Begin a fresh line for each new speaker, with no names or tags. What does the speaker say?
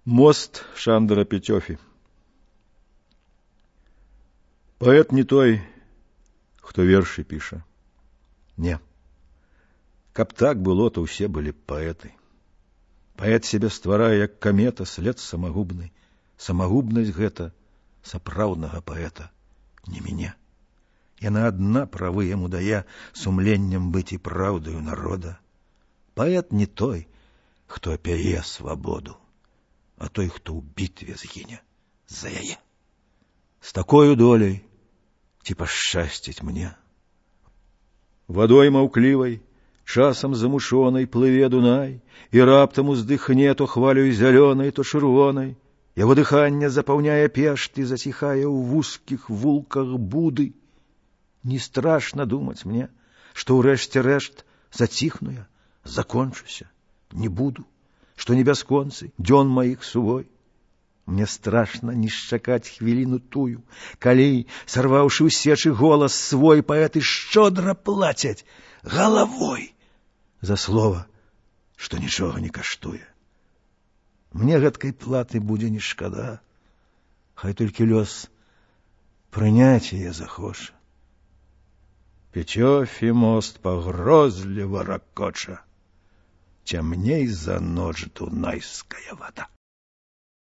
Мост Шандара Петёфи. Паэт не той, хто вершы піша. Не. Каб так было, то ўсе былі паэты. Паэт сябе стварае, як камета, след самагубны. Самагубнасць гэта сапраўднага паэта, не мяне. Яна адна правы яму дае сумленнем быць і праўдаю народа. Паэт не той, хто апяе свабоду, а той, хто ў бітве згіне за яе. З такою доляй ці пашчасціць мне. Вадой маўклівай, часам замушонай плыве Дунай, і раптам уздыхне то хвалёй зялёнай, то чырвонай. Яго дыханне запаўняе пешт і заціхае ў вузкіх вулках буды. Не страшна думаць мне, што ўрэшце рэшт заціхну я, закончуся, не буду, што не бясконцы, дзён маіх сувой. Мне страшна не шчакаць хвіліну тую, калі, сарваўшы ў сечы голас свой, паэты шчодра плацяць галавой за слова, што нічога не каштуе. Мне гэткай платы будзе не шкада, хай толькі лёс прыняць яе захоча. Петёфі мост пагрозліва ракоча, цямней за ноч дунайская вада.